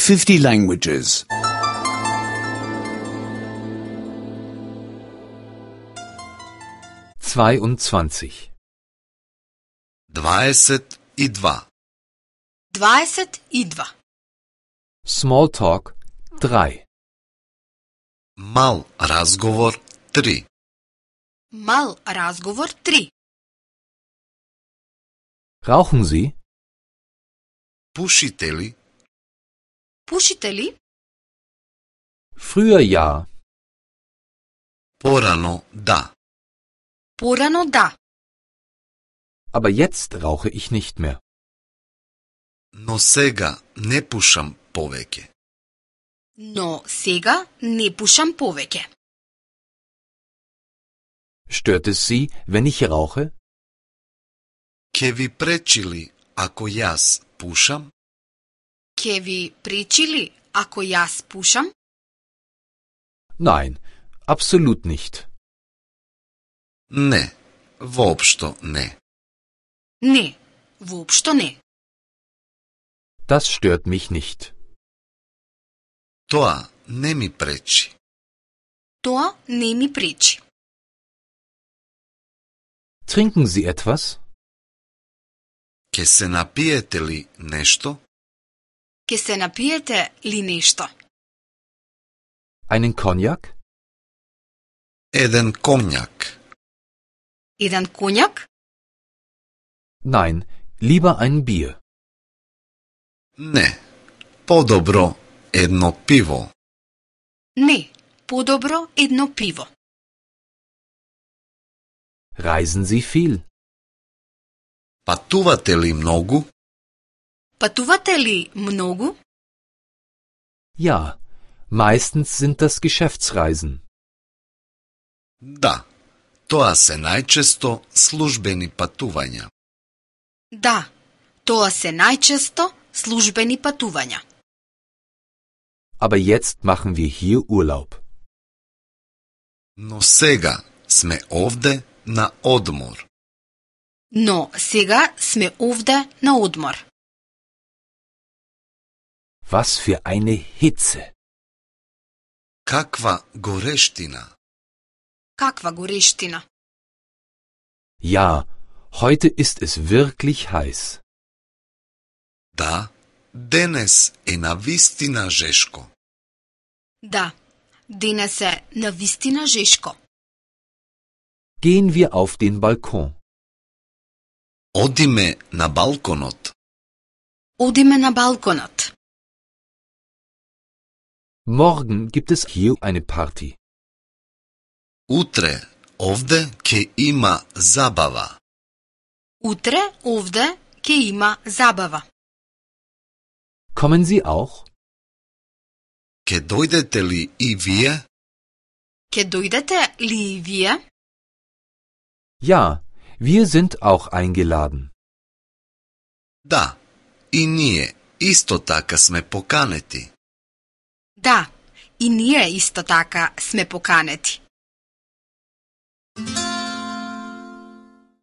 50 languages. 22. 22. 22. Small talk 3. Мал разговор 3. Mal razgovor 3. Rauchen Sie? Пушите ли? Pušite li? Früher ja. Порано да. Porano da. Aber jetzt rauche ich nicht mehr. Но сега не пушам повеќе. No сега ne pušam poveke. Stört es Sie, wenn ich rauche? Ке ви пречи ли ако јас пушам? Ke vi pričili ako jaz pušam? Nein, absolut nicht. Не, воопшто не. Ne, vopšto ne. Das stört mich nicht. Тоа не ми пречи. To ne mi preči. Trinken Sie etwas? Ке се напиете ли нешто? Ke se napijete li nešto? Einen Cognac? Еден конјак. Jedan konjak? Nein, lieber ein Bier. Не, подобро едно пиво. Ne, podobro jedno pivo. Reisen Sie viel? Патувате ли многу? Пътувате ли много? Ja, meistens sind das Geschäftsreisen. Да, тоа се најчесто службени патувања. Да, тоа се најчесто službeni пътувања. Aber jetzt machen wir hier Urlaub. Но сега сме овде на одмор. Но сега сме овде на одмор. Was für eine Hitze! Каква горештина! Каква горещина! Ja, heute ist es wirklich heiß. Да, денес е навистина жешко. Да, денес е навистина жешко. Gehen wir auf den Balkon. Одиме на балконот. Одиме на балконот. Morgen gibt es hier eine Party. Утре овде ќе има забава. Утре овде ќе има забава. Kommen Sie auch? Ке дојдете ли и вие? Ке дојдете ли и вие? Ja, wir sind auch eingeladen. Да, и ние исто така сме поканети. Да, и ние исто така сме поканети.